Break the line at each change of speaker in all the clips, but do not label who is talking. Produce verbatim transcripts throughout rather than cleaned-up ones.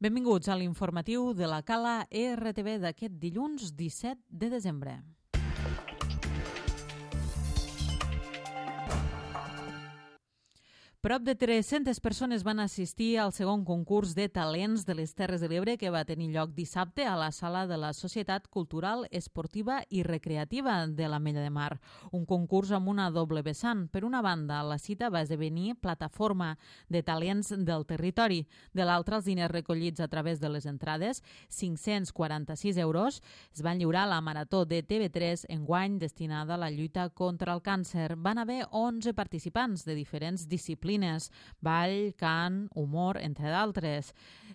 Benvinguts a l'informatiu de la Cala E R T V d'aquest dilluns disset de desembre. Prop de tres-centes persones van assistir al segon concurs de talents de les Terres de l'Ebre que va tenir lloc dissabte a la sala de la Societat Cultural, Esportiva i Recreativa de l'Ametlla de Mar. Un concurs amb una doble vessant. Per una banda, la cita va esdevenir plataforma de talents del territori. De l'altra, els diners recollits a través de les entrades, cinc-cents quaranta-sis euros, es van lliurar a la Marató de T V tres enguany destinada a la lluita contra el càncer. Van haver onze participants de diferents disciplines, ball, cant, humor, entre d'altres.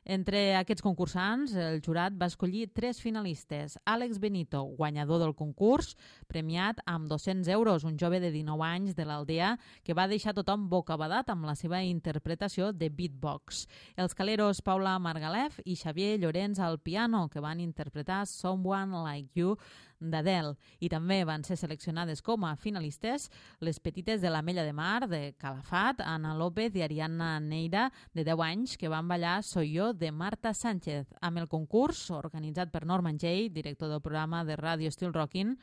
Entre aquests concursants, el jurat va escollir tres finalistes. Àlex Benito, guanyador del concurs, premiat amb dos-cents euros, un jove de dinou anys de l'Aldea que va deixar tothom bocabadat amb la seva interpretació de beatbox. Els caleros Paula Margalef i Xavier Llorenç al piano, que van interpretar Someone Like You d'Adele. I també van ser seleccionades com a finalistes les petites de l'Ametlla de Mar, de Calafat, Ana López i Ariadna Neira, de deu anys, que van ballar Soy yo, de Marta Sánchez. Amb el concurs, organitzat per Norman Jay, director del programa de ràdio Still Rockin',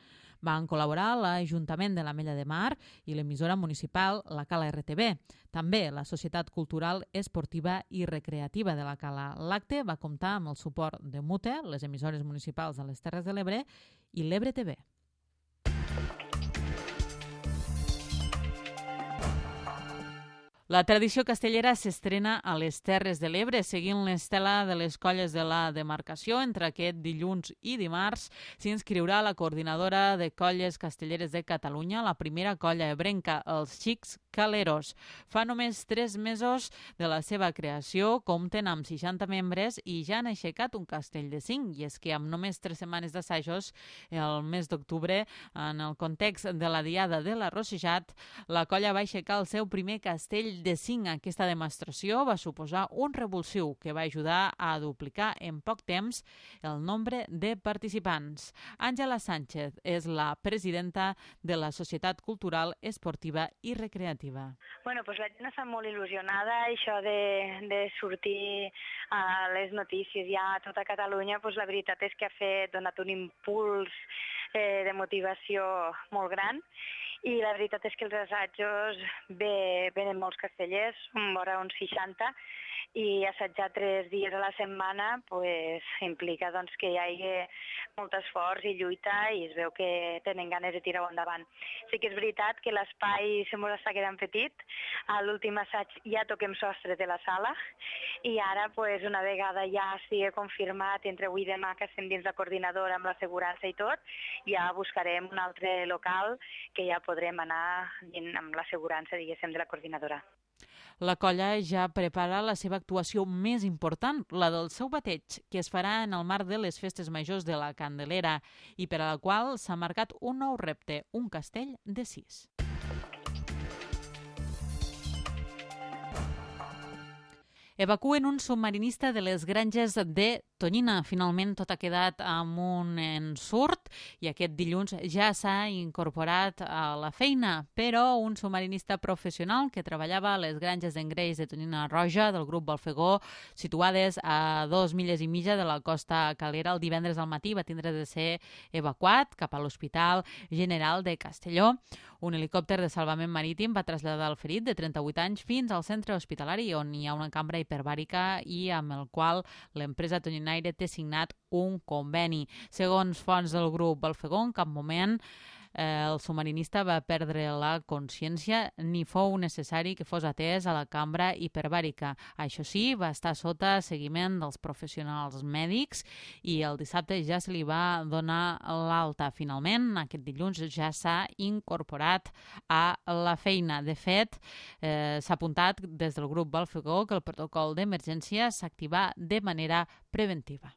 van col·laborar l'Ajuntament de l'Ametlla de Mar i l'emissora municipal La Cala R T V. També la Societat Cultural, Esportiva i Recreativa de la Cala. L'acte va comptar amb el suport de Mute, les emissores municipals de les Terres de l'Ebre i l'Ebre T V. La tradició castellera s'estrena a les Terres de l'Ebre, seguint l'estela de les colles de la demarcació. Entre aquest dilluns i dimarts s'inscriurà la coordinadora de colles castelleres de Catalunya, la primera colla ebrenca, els Xics Caleros. Fa només tres mesos de la seva creació, compten amb seixanta membres i ja han aixecat un castell de cinc. I és que amb només tres setmanes d'assajos, el mes d'octubre, en el context de la Diada de l'Arrossejat, la colla va aixecar el seu primer castell de cinc. Aquesta demostració va suposar un revulsiu que va ajudar a duplicar en poc temps el nombre de participants. Àngela Sánchez és la presidenta de la Societat Cultural, Esportiva i Recreativa.
Bueno, pues la gent està molt il·lusionada. Això de, de sortir a les notícies ja a tota Catalunya, pues la veritat és que ha fet, donat un impuls eh, de motivació molt gran. I la veritat és que els assajos ve, venen molts castellers, vora uns seixanta, i assajar tres dies a la setmana pues, implica doncs, que hi hagi molt esforç i lluita i es veu que tenen ganes de tirar-ho endavant. Sí que és veritat que l'espai se mos està quedant petit. A l'últim assaig ja toquem sostre de la sala i ara, pues, una vegada ja estigui confirmat entre avui i demà que estem dins la coordinadora amb l'assegurança i tot, ja buscarem un altre local que ja podrem anar amb l'assegurança, diguéssim, de la coordinadora.
La colla ja prepara la seva actuació més important, la del seu bateig, que es farà en el marc de les festes majors de la Candelera i per a la qual s'ha marcat un nou repte, un castell de sis. Evacuen un submarinista de les granges de Tonyina. Finalment tot ha quedat amb un ensurt i aquest dilluns ja s'ha incorporat a la feina, però un submarinista professional que treballava a les granges d'engreix de Tonyina Roja del grup Balfegó, situades a dos milles i mitja de la costa calera, el divendres al matí va tindre de ser evacuat cap a l'Hospital General de Castelló. Un helicòpter de salvament marítim va traslladar el ferit de trenta-vuit anys fins al centre hospitalari on hi ha una cambra hiperbàrica i amb el qual l'empresa Tonyinaire té signat un conveni. Segons fonts del grup Balfegó, en cap moment eh, el submarinista va perdre la consciència ni fou necessari que fos atès a la cambra hiperbàrica. Això sí, va estar sota seguiment dels professionals mèdics i el dissabte ja se li va donar l'alta. Finalment, aquest dilluns ja s'ha incorporat a la feina. De fet, eh, s'ha apuntat des del grup Balfegó que el protocol d'emergència s'activa de manera preventiva.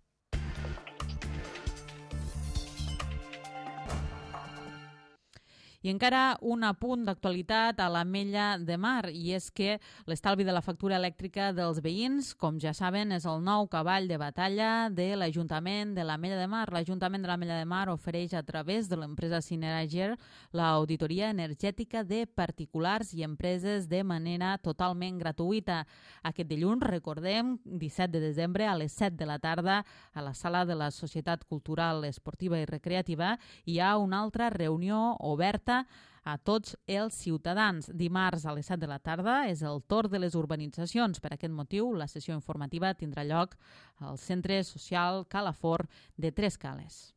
I encara un apunt d'actualitat a l'Ametlla de Mar, i és que l'estalvi de la factura elèctrica dels veïns, com ja saben, és el nou cavall de batalla de l'Ajuntament de l'Ametlla de Mar. L'Ajuntament de l'Ametlla de Mar ofereix a través de l'empresa Cinerager l'auditoria energètica de particulars i empreses de manera totalment gratuïta. Aquest dilluns, recordem, disset de desembre, a les set de la tarda, a la sala de la Societat Cultural, Esportiva i Recreativa, hi ha una altra reunió oberta a tots els ciutadans. Dimarts a les set de la tarda és el torn de les urbanitzacions. Per aquest motiu, la sessió informativa tindrà lloc al Centre Social Calafort de Tres Cales.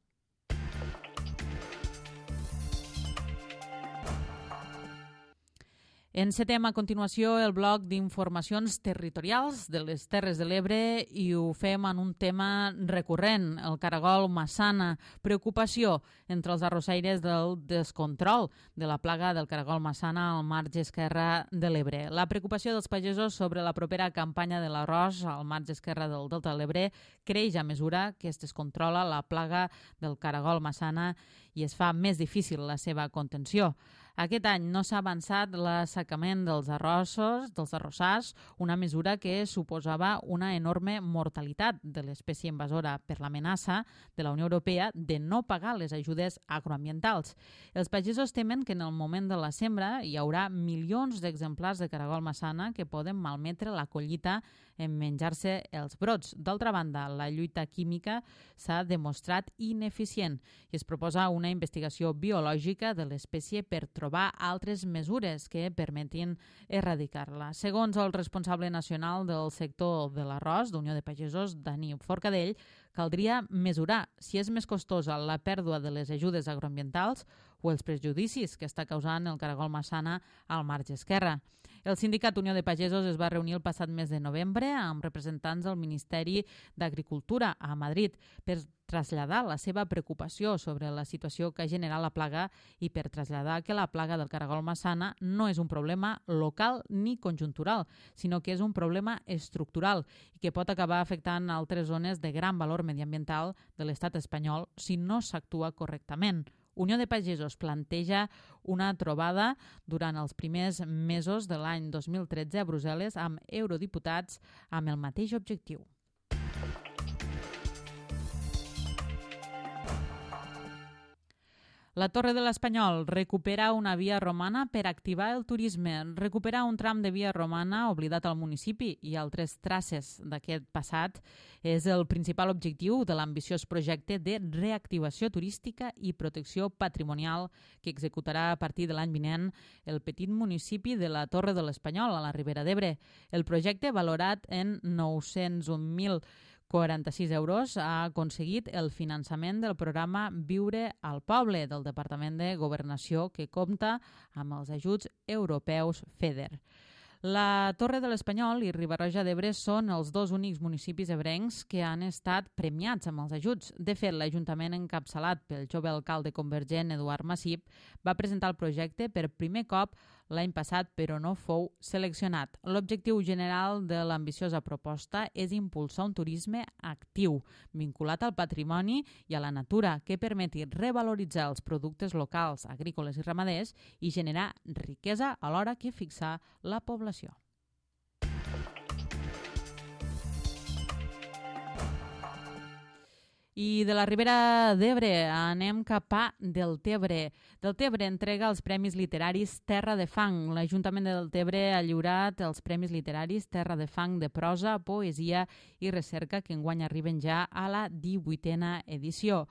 Encetem a continuació el bloc d'informacions territorials de les Terres de l'Ebre i ho fem en un tema recurrent, el caragol massana. Preocupació entre els arrossaires del descontrol de la plaga del caragol massana al marge esquerre de l'Ebre. La preocupació dels pagesos sobre la propera campanya de l'arròs al marge esquerre del Delta de l'Ebre creix a mesura que es descontrola la plaga del caragol massana i es fa més difícil la seva contenció. Aquest any no s'ha avançat l'assecament dels arrossos, dels arrossars, una mesura que suposava una enorme mortalitat de l'espècie invasora per l'amenaça de la Unió Europea de no pagar les ajudes agroambientals. Els pagesos temen que en el moment de la sembra hi haurà milions d'exemplars de caragol massana que poden malmetre la collita en menjar-se els brots. D'altra banda, la lluita química s'ha demostrat ineficient i es proposa una investigació biològica de l'espècie per trobar altres mesures que permetin erradicar-la. Segons el responsable nacional del sector de l'arròs d'Unió de Pagesos, Dani Forcadell, caldria mesurar si és més costosa la pèrdua de les ajudes agroambientals o els prejudicis que està causant el caragol massana al marge esquerre. El sindicat Unió de Pagesos es va reunir el passat mes de novembre amb representants del Ministeri d'Agricultura a Madrid per traslladar la seva preocupació sobre la situació que ha generat la plaga i per traslladar que la plaga del caragol massana no és un problema local ni conjuntural, sinó que és un problema estructural i que pot acabar afectant altres zones de gran valor mediambiental de l'estat espanyol si no s'actua correctament. Unió de Pagesos planteja una trobada durant els primers mesos de l'any dos mil tretze a Brussel·les amb eurodiputats amb el mateix objectiu. La Torre de l'Espanyol recupera una via romana per activar el turisme. Recuperar un tram de via romana oblidat al municipi i altres traces d'aquest passat és el principal objectiu de l'ambiciós projecte de reactivació turística i protecció patrimonial que executarà a partir de l'any vinent el petit municipi de la Torre de l'Espanyol, a la Ribera d'Ebre. El projecte, valorat en nou-cents un mil quaranta-sis euros, ha aconseguit el finançament del programa Viure al Poble del Departament de Governació, que compta amb els ajuts europeus FEDER. La Torre de l'Espanyol i Riba-roja d'Ebre són els dos únics municipis ebrencs que han estat premiats amb els ajuts. De fet, l'Ajuntament encapçalat pel jove alcalde convergent Eduard Massip va presentar el projecte per primer cop l'any passat, però no fou seleccionat. L'objectiu general de l'ambiciosa proposta és impulsar un turisme actiu, vinculat al patrimoni i a la natura, que permeti revaloritzar els productes locals, agrícoles i ramaders i generar riquesa alhora que fixar la població. I de la Ribera d'Ebre anem cap a Deltebre. Deltebre entrega els Premis Literaris Terra de Fang. L'Ajuntament de Deltebre ha lliurat els Premis Literaris Terra de Fang de prosa, poesia i recerca que enguany arriben ja a la divuitena edició.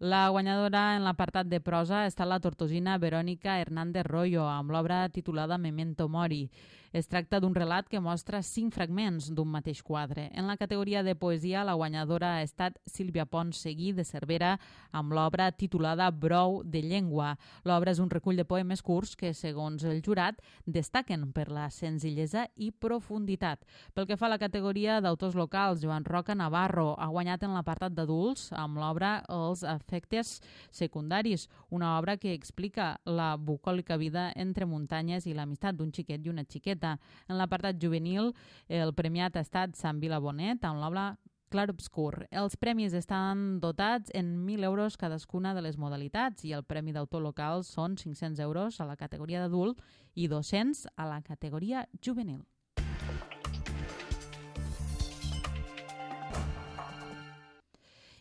La guanyadora en l'apartat de prosa ha estat la tortosina Verònica Hernández Royo amb l'obra titulada Memento Mori. Es tracta d'un relat que mostra cinc fragments d'un mateix quadre. En la categoria de poesia, la guanyadora ha estat Sílvia Pons Seguí de Cervera amb l'obra titulada Brou de llengua. L'obra és un recull de poemes curts que, segons el jurat, destaquen per la senzillesa i profunditat. Pel que fa a la categoria d'autors locals, Joan Roca Navarro ha guanyat en l'apartat d'adults amb l'obra Els efectes secundaris, una obra que explica la bucòlica vida entre muntanyes i l'amistat d'un xiquet i una xiqueta. En l'apartat juvenil, el premiat ha estat Sant Vila Bonet amb l'obra Clarobscur. Els premis estan dotats en mil euros cadascuna de les modalitats i el premi d'autor local són cinc-cents euros a la categoria d'adult i dos-cents a la categoria juvenil.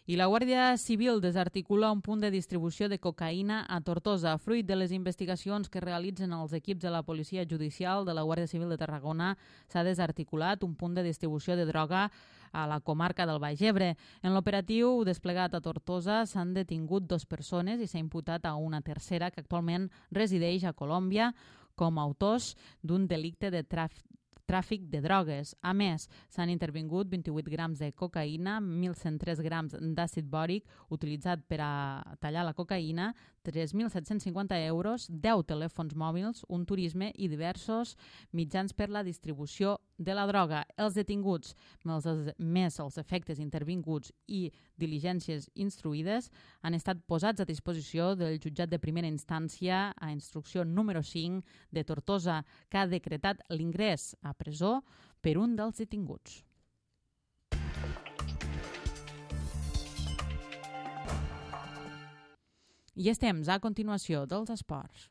I la Guàrdia Civil desarticula un punt de distribució de cocaïna a Tortosa. Fruit de les investigacions que realitzen els equips de la Policia Judicial de la Guàrdia Civil de Tarragona, s'ha desarticulat un punt de distribució de droga a la comarca del Baix Ebre. En l'operatiu desplegat a Tortosa s'han detingut dues persones i s'ha imputat a una tercera que actualment resideix a Colòmbia com a autors d'un delicte de tràfic tràfic de drogues. A més, s'han intervingut vint-i-vuit grams de cocaïna, mil cent tres grams d'àcid bòric utilitzat per a tallar la cocaïna, tres mil set-cents cinquanta euros, deu telèfons mòbils, un turisme i diversos mitjans per la distribució de la droga. Els detinguts, més els efectes intervinguts i diligències instruïdes, han estat posats a disposició del jutjat de primera instància a instrucció número cinc de Tortosa, que ha decretat l'ingrés a presó per un dels detinguts. I és temps, a continuació, dels esports.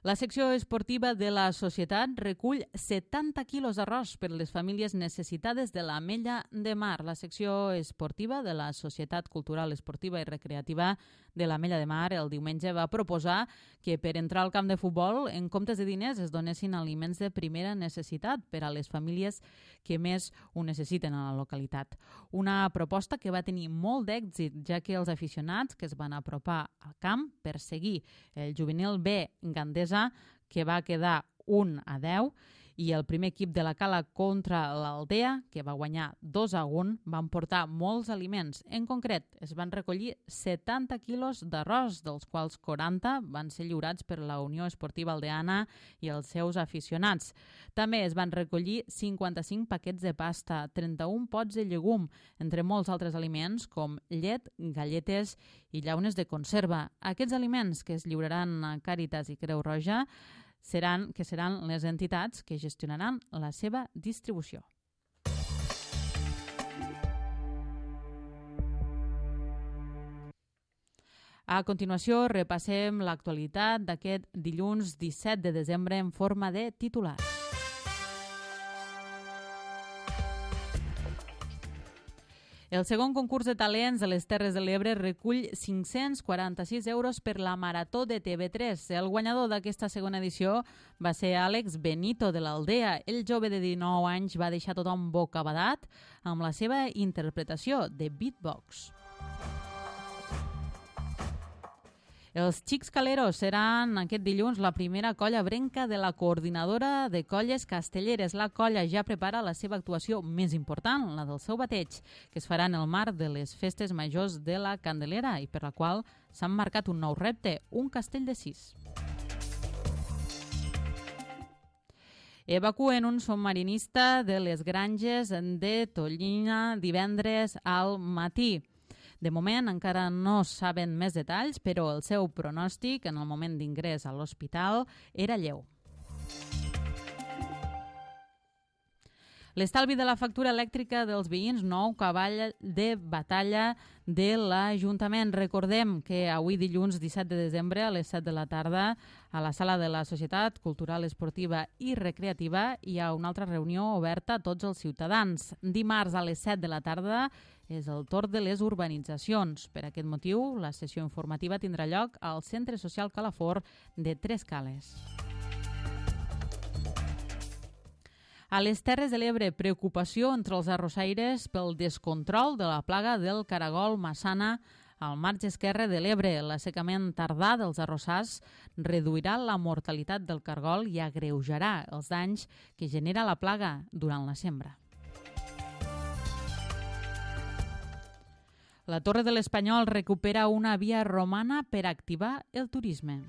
La secció esportiva de la Societat recull setanta quilos d'arròs per les famílies necessitades de l'Ametlla de Mar. La secció esportiva de la Societat Cultural Esportiva i Recreativa de l'Ametlla de Mar el diumenge va proposar que per entrar al camp de futbol, en comptes de diners, es donessin aliments de primera necessitat per a les famílies que més ho necessiten a la localitat. Una proposta que va tenir molt d'èxit, ja que els aficionats que es van apropar al camp per seguir el juvenil B Gandesa, que va quedar un a deu, i el primer equip de la Cala contra l'Aldea, que va guanyar dos a un, van portar molts aliments. En concret, es van recollir setanta quilos d'arròs, dels quals quaranta van ser lliurats per la Unió Esportiva Aldeana i els seus aficionats. També es van recollir cinquanta-cinc paquets de pasta, trenta-un pots de llegum, entre molts altres aliments com llet, galletes i llaunes de conserva. Aquests aliments que es lliuraran a Càritas i Creu Roja seran, que seran les entitats que gestionaran la seva distribució. A continuació, repassem l'actualitat d'aquest dilluns disset de desembre en forma de titulars. El segon concurs de talents de les Terres de l'Ebre recull cinc-cents quaranta-sis euros per la Marató de T V tres. El guanyador d'aquesta segona edició va ser Àlex Benito de l'Aldea. El jove de dinou anys va deixar tothom bocabadat amb la seva interpretació de beatbox. Els Xics Caleros seran aquest dilluns la primera colla brenca de la Coordinadora de Colles Castelleres. La colla ja prepara la seva actuació més important, la del seu bateig, que es farà en el marc de les festes majors de la Candelera i per la qual s'han marcat un nou repte, un castell de sis. Evacuen un submarinista de les granges de Tollina divendres al matí. De moment encara no saben més detalls, però el seu pronòstic en el moment d'ingrés a l'hospital era lleu. L'estalvi de la factura elèctrica dels veïns, nou cavall de batalla de l'Ajuntament. Recordem que avui dilluns disset de desembre a les set de la tarda a la sala de la Societat Cultural Esportiva i Recreativa hi ha una altra reunió oberta a tots els ciutadans. Dimarts a les set de la tarda és el torn de les urbanitzacions. Per aquest motiu, la sessió informativa tindrà lloc al Centre Social Calafort de Tres Cales. A les Terres de l'Ebre, preocupació entre els arrossaires pel descontrol de la plaga del caragol massana al marge esquerre de l'Ebre. L'assecament tardà dels arrossars reduirà la mortalitat del cargol i agreujarà els danys que genera la plaga durant la sembra. La Torre de l'Espanyol recupera una via romana per activar el turisme.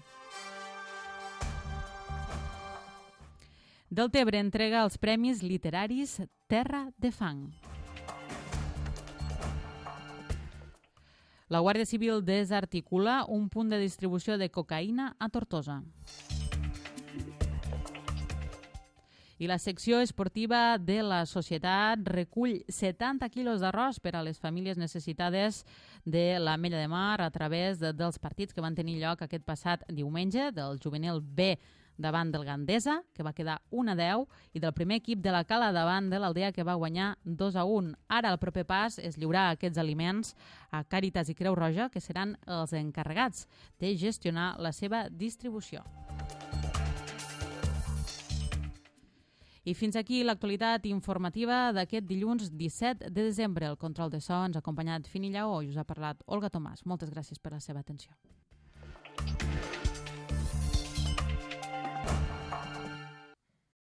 Deltebre entrega els premis literaris Terra de Fang. La Guàrdia Civil desarticula un punt de distribució de cocaïna a Tortosa. I la secció esportiva de la societat recull setanta quilos d'arròs per a les famílies necessitades de l'Ametlla de Mar a través de, dels partits que van tenir lloc aquest passat diumenge, del juvenil B davant del Gandesa, que va quedar un a deu, i del primer equip de la Cala davant de l'Aldea, que va guanyar dos a un. Ara el proper pas és lliurar aquests aliments a Càritas i Creu Roja, que seran els encarregats de gestionar la seva distribució. I fins aquí l'actualitat informativa d'aquest dilluns disset de desembre. El control de so ens ha acompanyat Fini Lleó i us ha parlat Olga Tomàs. Moltes gràcies per la seva atenció.